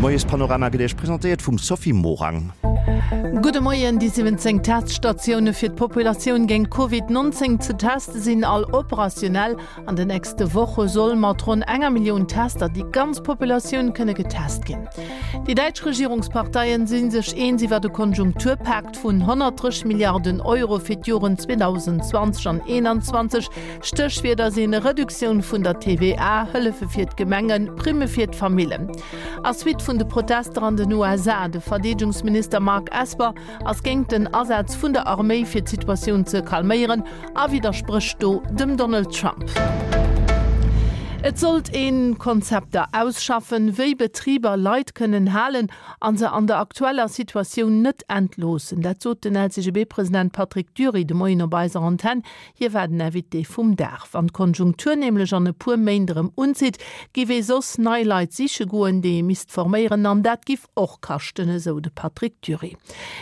De Moiespanorama gëtt Iech presentéiert vum Sophie Morang. Gudde Moien, Déi 17 Teststatioune fir d'Populatioun géint Covid 19 ze teste sinn all operationell. An de nächste Woche soll mat ronn enger Millioun Tester déi ganz Populatioun kënne getest ginn. Déi däitsch Regierungsparteien si sech eens iwwer e Konjunkturpak vun 130 Milliarden Euro fir d'Joren 2020 an 2021. Stéchwierder sinn Reduktioun vun der TVA, Hëllefe fir d'Gemengen, Primme fir d'Famillen. A Suite vun de Protester an den USA, De Verdeedegungsminister Mark Esper ass géint den Asaz vun der Arméi fir d'Situatioun ze calméieren a widdersprécht do dem Donald Trump. Et sollt ee Konzepter ausschaffen, wéi Betriber Leit kënnen halen a se an der aktueller Situatioun net entloossen. Dat sot den LCGB-President Patrick Dury de Moien op eiser Antenn. Hie war den Invité vum Dag. Wann d'Konjunktur nämlech an e puer Méint erëm unzitt, giff ee soss nei Leit siche goen, déi ee misst forméieren an dat giff och kaschten, esou de Patrick Dury.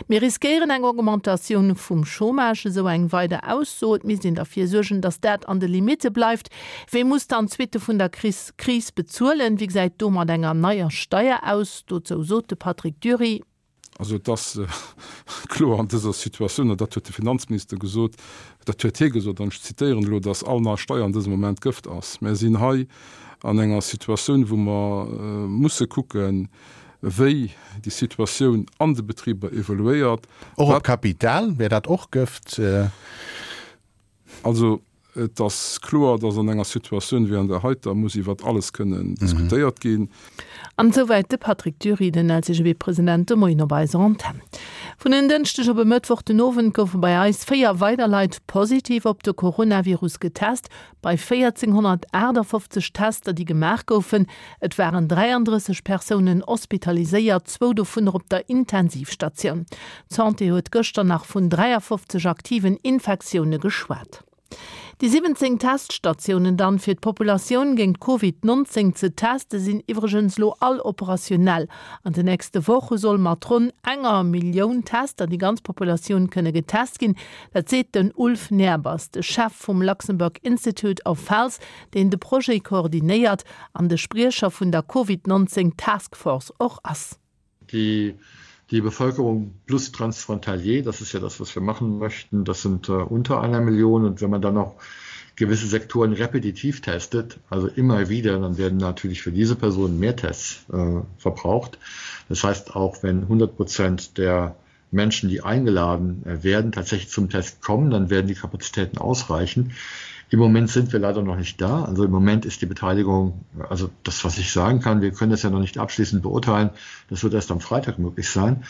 Mir riskéieren eng Augmentatioun vum Chômage, esou eng weider Ausso. Et misst een derfir suergen, datt dat an de Limitte bleift. Wee muss dann d'Suitte vun der Kris bezuelen? Wéi gesäit do mat enger neier Steier aus? Dozou sot de Patrick Dury. Also et ass kloer an dëser Situatioun, an dat huet de Finanzminister gesot, dat huet hie gesot, an ech zitéieren elo, datt all nei Steier an dësem Moment Gëft ass. Mär sinn hei an enger Situatioun, wou mer musse kucken, wéi déi Situatioun an de Betriber evoluéiert. Och op Kapital wär dat och Gëft? Also et ass kloer, datt an enger Situatioun wéi an där heiter muss iwwert alles kënnen diskutéiert ginn. An esouwäit de Patrick Dury, den LCGB-President, de Moien op eiser Antenn. Vun en Dënschdeg op e Mëttwoch den Owend goufe bei eis 4 weider Leit positiv op de Coronavirus getest. Bei 1.458 Tester, déi gemaach goufen, et waren 33 Persounen hospitaliséiert, zwou dovunner op der Intensivstatioun. D'Santé huet gëschter nach vun 53 aktiven Infektioune geschwat. Déi 17 Teststatiounen dann, fir d'Populatioun géint Covid 19 ze teste sinn iwwregens lo all operationell. An de nächste Woche soll mat ronn enger Millioun Tester déi ganz Populatioun kënne getest ginn. Dat seet den Ulf Nehrbass, de Chef vum Luxembourg Institute of Health, deen de Projet koordinéiert an de Spriecher vun der Covid 19 Task Force och ass. Die, die Bevölkerung plus Transfrontalier, das ist ja das, was wir machen möchten, das sind äh, unter einer Million. Und wenn man dann noch gewisse Sektoren repetitiv testet, also immer wieder, dann werden natürlich für diese Personen mehr Tests äh, verbraucht. Das heißt, auch wenn 100 Prozent der Menschen, die eingeladen äh, werden, tatsächlich zum Test kommen, dann werden die Kapazitäten ausreichen. Im Moment sind wir leider noch nicht da. Also im Moment ist die Beteiligung, also das, was ich sagen kann, wir können das ja noch nicht abschließend beurteilen. Das wird erst am Freitag möglich sein.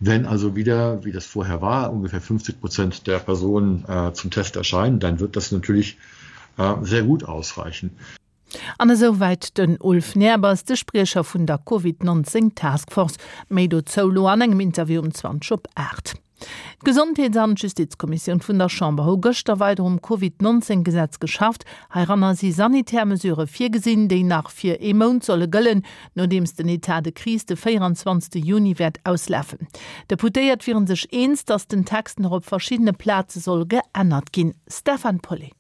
Wenn also wieder, wie das vorher war, ungefähr 50 Prozent der Personen äh, zum Test erscheinen, dann wird das natürlich äh, sehr gut ausreichen. An esou wäit den Ulf Nehrbass, de Spriecher vun der Covid 19 Task Force. Méi dozou lo an engem Interview um 20 op 8. D'Gesondheets an d'Justizkommissioun vun der Chamber hu gëschter weider um Covid 19 Gesetz geschafft. Heiranner si sanitär Mesurë virgesinn, déi nach fir ee Mount solle gëllen, nodeems den Etat de crise de 24 Juni wäert auslafen. D'Deputéiert wiere sech eens, datt den Text nach op verschiddene Plaze soll geännert ginn. Stefan Paulet.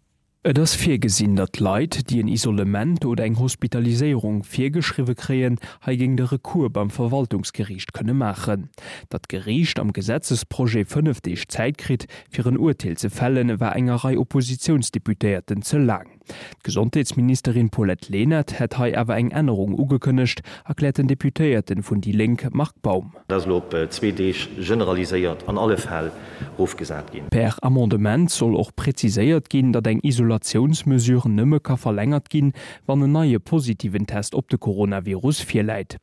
Et ass virgesinn, datt Leit, déi en Isolement oder eng Hospitaliséierung virgeschriwwe kréien, heigéint e Recours beim Verwaltungsgeriicht kënne maachen. Datt d'Geriicht am Gesetzesprojet 5 Deeg Zäit kritt, fir en Urteel ze fällen, war enger Rei Oppositiounsdeputéierten ze laang. D'Gesondheetsministerin Paulette Lenert hätt hei awer eng Ännerung ugekënnegt, erkläert den Deputéierten vun déi Lénk Marc Baum. Dat ass elo op zwee Deeg generaliséiert an alle Fäll erofgesat ginn. Per Amendement soll och präziséiert ginn, datt eng Isolatiounsmesure nëmme ka verlängert ginn, wann en neie positiven Test op de Coronavirus virläit.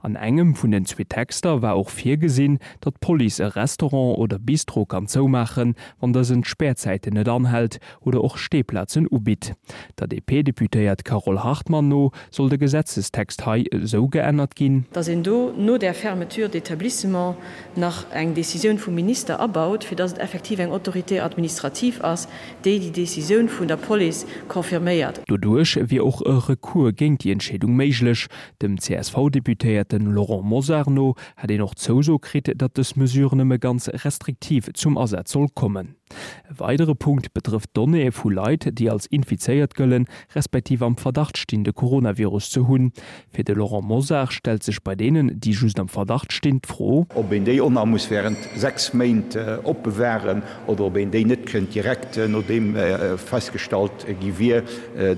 An engem vun den zwee Texter war och virgesinn, datt d'Police e Restaurant oder Bistro kann zoumaachen, wann dësen d'Spärzäiten net anhält oder och Steeplazen ubitt. Der DP-Deputéiert Carole Hartmann no soll de Gesetzestext hei esou geännert ginn, datt een do no där Fermeture d'établissement nach eng Décisioun vum Minister abaut, fir datt et effektiv eng Autorité administrative ass, déi déi Décisioun vun der Police confirméiert. Doduerch wier och e Recours géint déi Entscheedung méiglech. Dem CSV-Deputéierten Laurent Mosar no hätt een och d'Zouso kritt, datt dës Mesure nëmme ganz restriktiv zum Asaz soll kommen. E weidere Punkt betrëfft d'Donnéeë vu Leit, déi als infizéiert gëllen, respektiv am Verdacht stinn, de Coronavirus ze hunn. Fir de Laurent Mosar stellt sech bei deenen, déi just am Verdacht stinn, d'Fro. Ob een déi och nach muss während 6 Méint opbewahren oder ob een déi net kënnt direkt, nodeem festgestallt gi wier,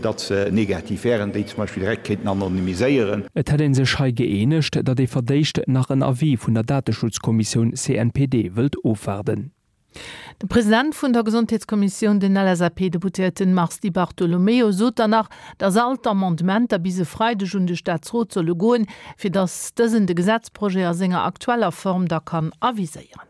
datt se negativ wären, déi zum Beispill direkt kéinten anonymiséieren. Et hätt ee sech hei gëeenegt, datt ee verdéischt nach en Avis vun der Dateschutzkommissioun CNPD wëllt ofwaarden. De President vun der Gesondheetskommissioun, den LSAP-Deputéierten Mars Di Bartolomeo, sot dann nach, datt all d'Amendementer bis e Freideg un de Staatsrot solle goen, fir datt dësen de Gesetzprojet a senger aktueller Form da kann aviséieren.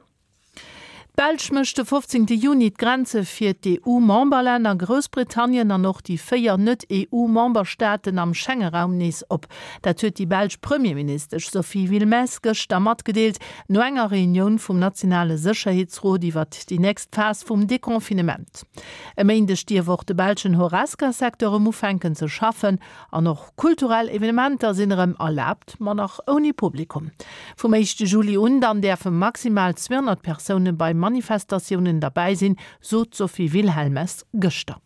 D'Belsch mécht de 15 Juni d'Grenze fir d'EU-Memberlänner Groussbritannien an och déi 4 Net-EU-Memberstaaten am Schengeraum nees op. Dat huet déi belsch Premierministesch Sophie Wilmès gëschter matgedeelt, no enger Reunioun vum nationale Sécherheetsrot iwwert déi nächst Phas vum Deconfinement. E Méindeg dierf och de belschen Horesca-Secteur erëm ufänken ze schaffen an och kulturell Evenementer sinn erëm erlaabt, ma nach ouni Publikum. Vum éischte Juli un dann däerfe maximal 200 Persoune bei Manifestatiounen derbäi sinn, sot d'Sophie Wilhelmes gëschter.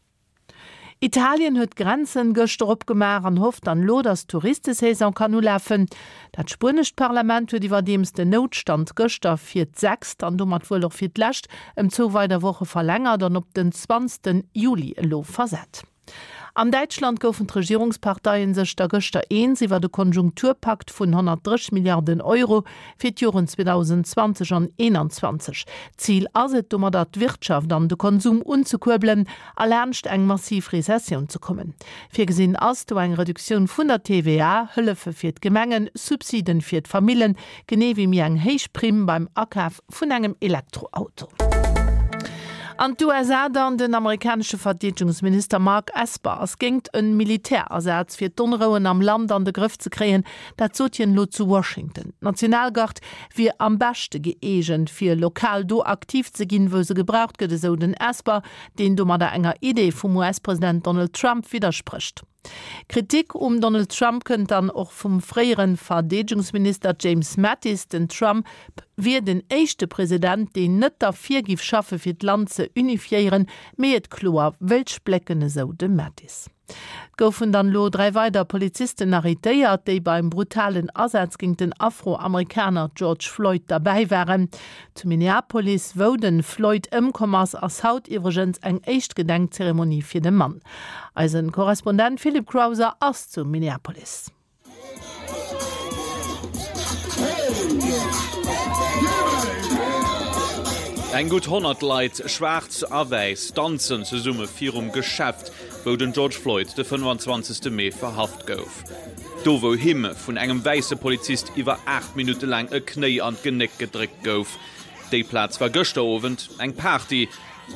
Italien huet d'Grenzen gëschter opgemaach an hofft dann elo, datt d'Touristesaison kann ulafen. Dat spuenescht Parlament huet iwwerdeems den Noutstand gëschter fir d'sechst an domat wuel och fir d'lescht ëm zwou weider Woche verlängert an op den 20 Juli elo versat. An Däitschland goufen d'Regierungsparteien sech da gëschter eens iwwert e Konjunkturpakt vun 130 Milliarden Euro fir d'Joren 2020 an 2021. Zil ass et domadder d'Wirtschaft an de Konsum unzekuerbelen a laanscht eng massiv Rezessioun ze kommen. Virgesinn ass do eng Reduktioun vun der TVA, Hëllefe fir d'Gemengen, Subsiden fir d'Famillen, genee wéi méi eng héich Primm beim Akaf vun engem Elektroauto. An d'USA dann, Den amerikanesche Verdeedegungsminister Mark Esper ass géingt e Militärasaz fir d'Onrouen am Land an de Grëff ze kréien. Dat sot hien elo zu Washington. D'Nationalgard wier am beschte gëeegent fir lokal do aktiv ze ginn, wou se gebraucht gëtt, esou den Esper, deen domadder enger Idee vum US-President Donald Trump widdersprécht. Kritik um Donald Trump kënnt dann och vum fréiere Verdeedegungsminister James Mattis. Den Trump wier den éischte President, deen net derfir giff schaffe fir d'Land ze unifiéieren, mee et kloer wéilt splécken, esou de Mattis. Et goufen dann elo 3 weider Polizisten arrêtéiert, déi beim brutalen Asaz géint den Afroamerikaner George Floyd derbäi waren. Zu Minneapolis, wou de Floyd ëmkomm ass, ass haut iwwregens eng éischt Gedenkzeremonie fir de Mann. Eise Korrespondent Philippe Crowther ass zu Minneapolis. Eng gutt 100 Leit, schwaarz a wäiss, danzen zesumme virum Geschäft, wou den George Floyd de 25. Mee verhaft gouf. Do wou him vun engem wäisse Polizist iwwer 8 Minutte laang e Knéi an d'Genéck gedréckt gouf. Déi Plaz war gëschter Owend eng Party,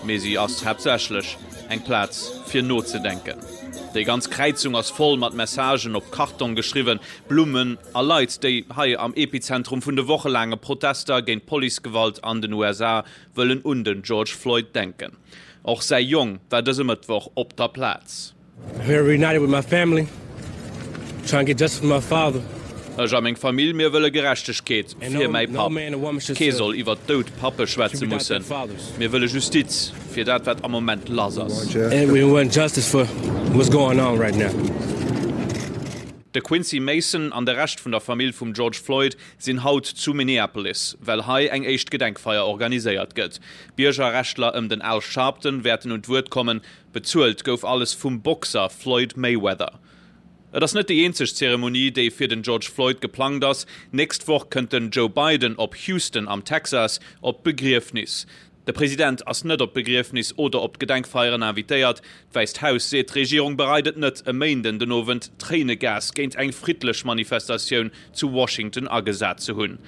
mee si ass haaptsächlech eng Plaz fir nozedenken. Déi ganz Kräizung ass voll mat Messagen op Kartong geschriwwen, Blummen a Leit, déi hei am Epizentrum vun de wochelaange Protester géint Policegewalt an den USA wëllen un den George Floyd denken. Och säi Jong war dëse Mëttwoch op der Plaz. Here reunited with my family, trying to get justice for my father. Ech a meng Famill, mir wëlle Gerechtegkeet fir mäi Papp. Kee soll iwwer dout Pappe schwätze mussen. Mir wëlle Justiz fir dat, wat am Moment lass ass. De Quincy Mason an de Rescht vun der Famill vum George Floyd sinn haut zu Minneapolis, well hei eng éischt Gedenkfeier organiséiert gëtt. Biergerrechtler ëm den Al Sharpton wäerten un d'Wuert kommen. Bezuelt gouf alles vum Boxer Floyd Mayweather. Et ass net déi eenzeg Zeremonie, déi fir den George Floyd geplangt ass. Nächst Woch kënnt den Joe Biden op Houston am Texas op d'Begriefnis. De President ass net op d'Begriefnis oder op d'Gedenkfeieren invitéiert. D'Wäisst Haus seet, d'Regierung bereit et net, e Méinden den Owend Tréinegas géint eng friddlech Manifestatioun zu Washington agesat ze hunn.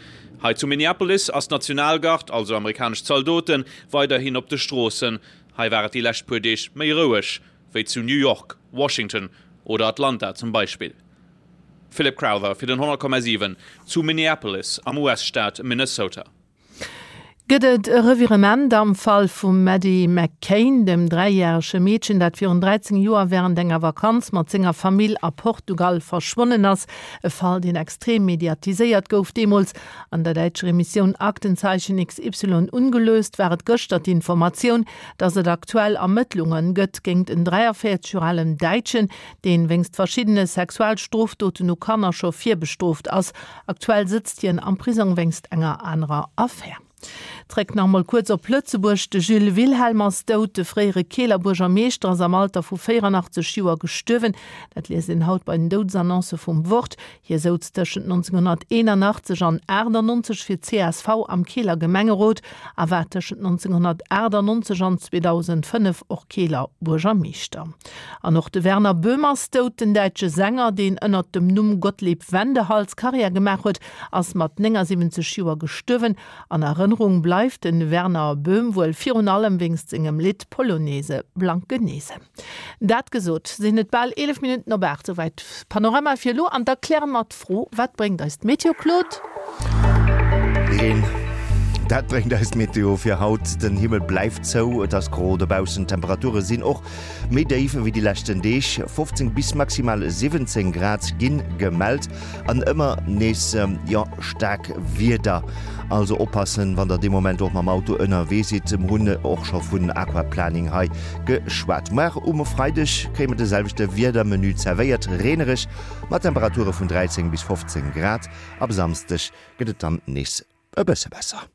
Hei zu Minneapolis ass d'Nationalgard, also amerikanesch Zaldoten, weiderhin op de Stroossen. Hei war et déi lescht puer Deeg méi roueg wéi zu New York, Washington oder Atlanta zum Beispill. Philip Crowther fir den 100,7 zu Minneapolis am US-Staat Minnesota. Gëtt et e Revirement am Fall vum Maddie McCain, dem dräijärege Meedchen, dat virun 13 Joer wärend enger Vakanz mat senger Famill a Portugal verschwonnen ass? E Fall, deen extrem mediatiséiert gouf deemools. An der däitscher Emissioun Aktenzeichen XY ungelöst war et gëschter d'Informatioun, datt et aktuell Ermëttlunge gëtt géingt en 43 Joer alen Däitschen, deen wéinst verschiddene Sexualstrofdoten u Kanner scho virbestrooft ass. Aktuell sëtzt hien am Prisong wéinst enger anerer Affär. Zréck nach emol kuerz op Lëtzebuerg, De Jules Wilhelm ass dout. De fréiere Keeler Buergermeeschter ass am Alter vu 84 Joer gestuerwen. Dat liest een haut bei den Doudesannoncë vum Wort. Hie souz tëschent 1981 an 98 fir csv am Keeler Gemengerot a war tëschent 1998 an 2005 och Keeler Buergermeeschter. An och de Werner Böhm ass dout. Den däitsche Sänger, deen ënnert dem Numm Gottlieb Wendehals Karriär gemaach huet, ass mat 79 Joer gestuerwen. An Erënnerung bleift de Werner Böhm wuel virun allem wéinst sengem Lidd Polonaise Blankenese. Dat gesot, sinn et bal 11 Minutten op 8. Souwäit Panorama fir elo. An da kläre mer d'Fro, Wat bréngt eis d'Meteo, Claude? Reen, dat bréngt eis d'Meteo fir haut. Den Himmel bleift zou, et ass gro dobaussen, d'Temperature sinn och méi déif ewéi déi leschten Deeg, 15 bis maximal 17 Grad ginn gemellt an ëmmer nees, jo, staark Wieder. Also oppassen, wann der dee Moment och mam Auto ënnerwee sidd. Mer hunn och scho vun Aquaplaning hei geschwat. Muar um Freideg kréie mer de selwechte Wiedermenü zerwéiert, reenereg mat Temperature vun 13 bis 15 Grad. Ab Samsdeg gëtt et dann nees e bësse besser.